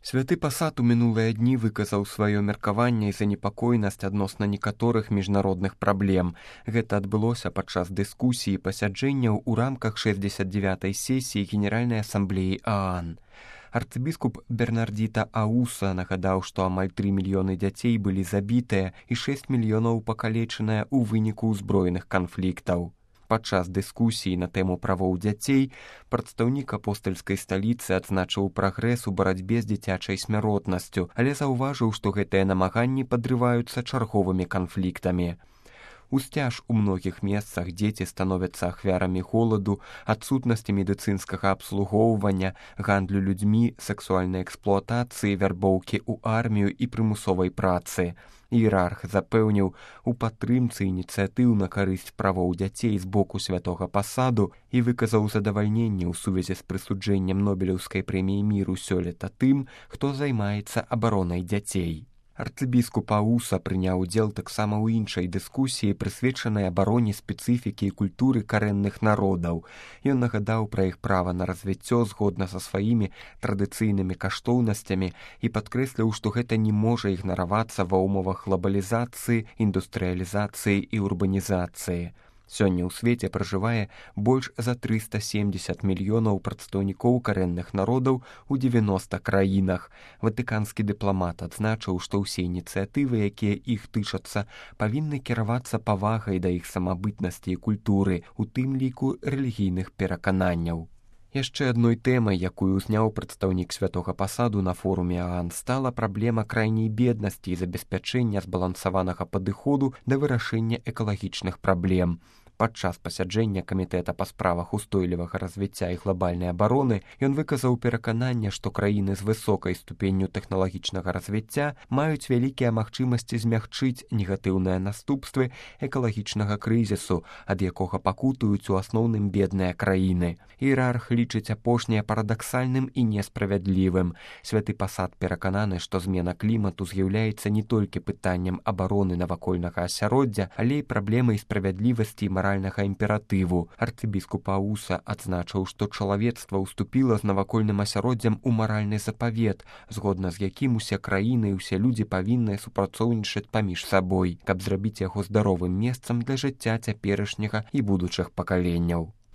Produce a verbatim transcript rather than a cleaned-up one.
Святы пасад у мінулыя дні выказаў сваё меркаванне і занепакоенасць адносна некаторых міжнародных праблем. Гэта адбылося падчас дыскусіі пасяджэнняў у рамках шэсцьдзесят дзевятай сесіі Генеральнай асамблеі ААН. Арцыбіскуп Бернардзіта Ауса нагадаў, што амаль тры мільёны дзяцей былі забітыя і шэсць мільёнаў пакалечаныя ў выніку ўзброеных канфліктаў. Падчас дыскусіі на тэму правоў дзяцей прадстаўнік апостальскай сталіцы адзначыў прагрэс у барацьбе з дзіцячай смяротнасцю, але заўважыў, што гэтыя намаганні падрываюцца чарговымі канфліктамі. Усцяж у многіх месцах дзеці становяцца ахвярамі голаду, адсутнасці медыцынскага абслугоўвання, гандлю людзьмі, сексуальнай эксплуатацыі, вярбоўкі ў армію і прымусовай працы. Іерарх запэўніў у падтрымцы ініцыятыў на карысць правоў дзяцей з боку святога пасаду і выказаў задавальненне ў сувязі з прысуджэннем Нобелеўскай прэміі міру сёлета тым, хто займаецца абаронай дзяцей. Арцыбіскуп Ауса прыняў удзел таксама ў іншай дыскусіі, прысвечанай абароне спецыфікі і культуры карэнных народаў. Ён нагадаў пра іх права на развіццё згодна са сваімі традыцыйнымі каштоўнасцямі і падкрэсліў, што гэта не можа ігнаравацца ва ўмовах глобалізацыі, індустрыялізацыі і урбанізацыі. Сёння ў свеце пражывае больш за трыста семдзесят мільёнаў прадстаўнікоў карэнных народаў у дзевяноста краінах. Ватыканскі дыпламат адзначыў, што ўсе ініцыятывы, якія іх тычацца, павінны кіравацца павагай да іх самабытнасці і культуры, у тым ліку рэлігійных перакананняў. Яшчэ адной тэмай, якую ўзняў прадстаўнік святога пасаду на форуме ААН, стала праблема крайняй беднасці і забеспячэння збалансаванага падыходу да вырашэння экалагічных праблем. Падчас пасяджэння камітэта па справах устойлівага развіцця і глобальнай абароны ён выказаў перакананне, што краіны з высокай ступенню тэхналагічнага развіцця маюць вялікія магчымасці змягчыць негатыўныя наступствы экалагічнага крызісу, ад якога пакутуюць у асноўным бедныя краіны. Іерарх лічыць апошняе парадаксальным і несправядлівым. Святы пасад перакананы, што змена клімату з'яўляецца не толькі пытаннем абароны навакольнага асяроддзя, але і праблемай справядлівасці і маральнага імператыву. Арцыбіскуп Ауса адзначыў, што чалавецтва ўступіла з навакольным асяроддзям у маральны запавет, згодна з якім усе краіны і ўсе людзі павінны супрацоўнічаць паміж сабой, каб зрабіць яго здаровым месцам для жыцця цяперашняга і будучых пакаленняў.